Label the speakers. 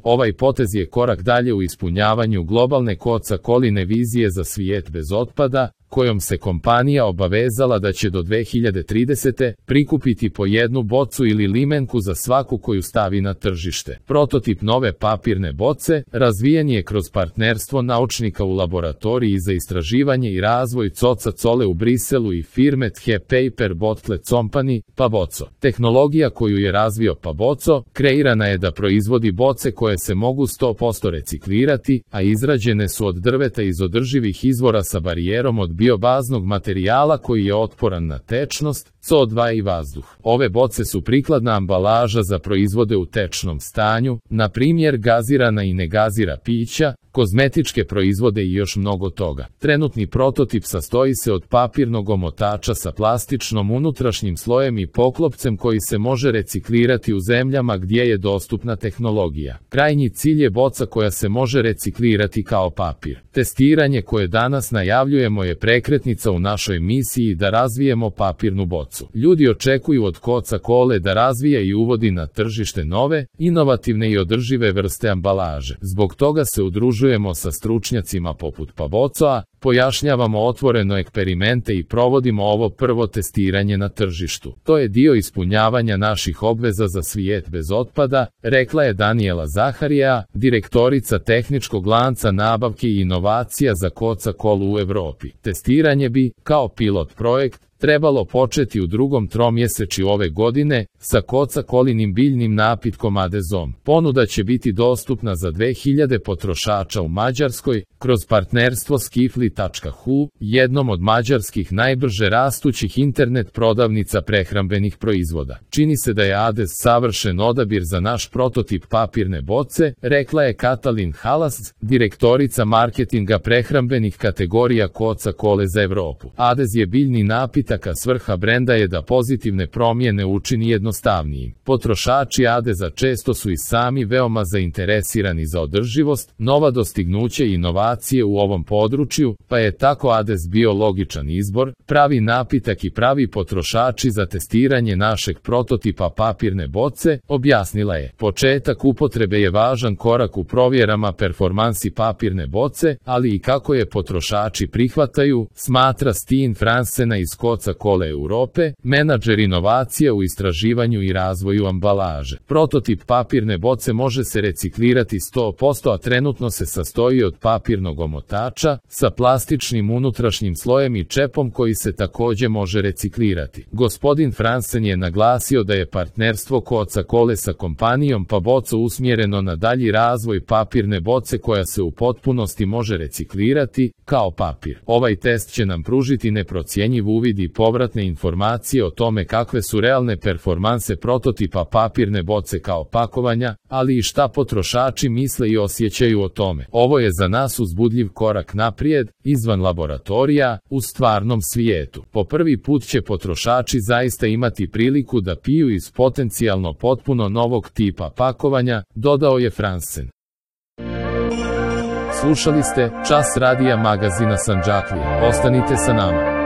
Speaker 1: Ovaj potez je korak dalje u ispunjavanju globalne Coca-Coline vizije za svijet bez otpada, kojom se kompanija obavezala da će do 2030. prikupiti po jednu bocu ili limenku za svaku koju stavi na tržište. Prototip nove papirne boce razvijen je kroz partnerstvo naučnika u laboratoriji za istraživanje i razvoj Coca-Cole u Briselu i firme The Paper Bottle Company, Paboco. Tehnologija koju je razvio Paboco kreirana je da proizvodi boce koje se mogu 100% reciklirati, a izrađene su od drveta iz održivih izvora sa barijerom od biobaznog materijala koji je otporan na tečnost, CO2 i vazduh. Ove boce su prikladna ambalaža za proizvode u tečnom stanju, na primjer gazirana i negazira pića, kozmetičke proizvode i još mnogo toga. Trenutni prototip sastoji se od papirnog omotača sa plastičnom unutrašnjim slojem i poklopcem koji se može reciklirati u zemljama gdje je dostupna tehnologija. Krajnji cilj je boca koja se može reciklirati kao papir. Testiranje koje danas najavljujemo je prekretnica u našoj misiji da razvijemo papirnu bocu. Ljudi očekuju od Coca-Cole da razvija i uvodi na tržište nove, inovativne i održive vrste ambalaže. Zbog toga se udružujemo sa stručnjacima poput Pabocoa, pojašnjavamo otvoreno eksperimente i provodimo ovo prvo testiranje na tržištu. To je dio ispunjavanja naših obveza za svijet bez otpada, rekla je Daniela Zaharija, direktorica tehničkog lanca nabavke i inovacija za Coca-Colu u Evropi. Testiranje bi, kao pilot projekt, trebalo početi u drugom tromjesečju ove godine sa Coca-Colinim biljnim napitkom Adezom. Ponuda će biti dostupna za 2000 potrošača u Mađarskoj kroz partnerstvo Skifli.hu, jednom od mađarskih najbrže rastućih internet prodavnica prehrambenih proizvoda. Čini se da je Adez savršen odabir za naš prototip papirne boce, rekla je Katalin Halas, direktorica marketinga prehrambenih kategorija Coca-Cole za Evropu. Adez je biljni napitak, a svrha brenda je da pozitivne promjene učini jednostavnijim. Potrošači Adeza često su i sami veoma zainteresirani za održivost, nova dostignuća i inovacije u ovom području, pa je tako Adez bio logičan izbor, pravi napitak i pravi potrošači za testiranje našeg prototipa papirne boce, objasnila je. Početak upotrebe je važan korak u provjerama performansi papirne boce, ali i kako je potrošači prihvataju, smatra Steen Fransena iz Coca-Cola Europe, menadžer inovacija u istraživanju i razvoju ambalaže. Prototip papirne boce može se reciklirati 100%, a trenutno se sastoji od papirnog omotača sa plastičnim unutrašnjim slojem i čepom koji se također može reciklirati. Gospodin Fransen je naglasio da je partnerstvo Coca-Cole sa kompanijom Paboco usmjereno na dalji razvoj papirne boce koja se u potpunosti može reciklirati kao papir. Ovaj test će nam pružiti neprocjenjiv uvid i povratne informacije o tome kakve su realne performanse prototipa papirne boce kao pakovanja, ali i šta potrošači misle i osjećaju o tome. Ovo je za nas uzbudljiv korak naprijed, izvan laboratorija, u stvarnom svijetu. Po prvi put će potrošači zaista imati priliku da piju iz potencijalno potpuno novog tipa pakovanja, dodao je Fransen. Slušali ste Čas radija magazina Sandžaklija. Ostanite sa nama.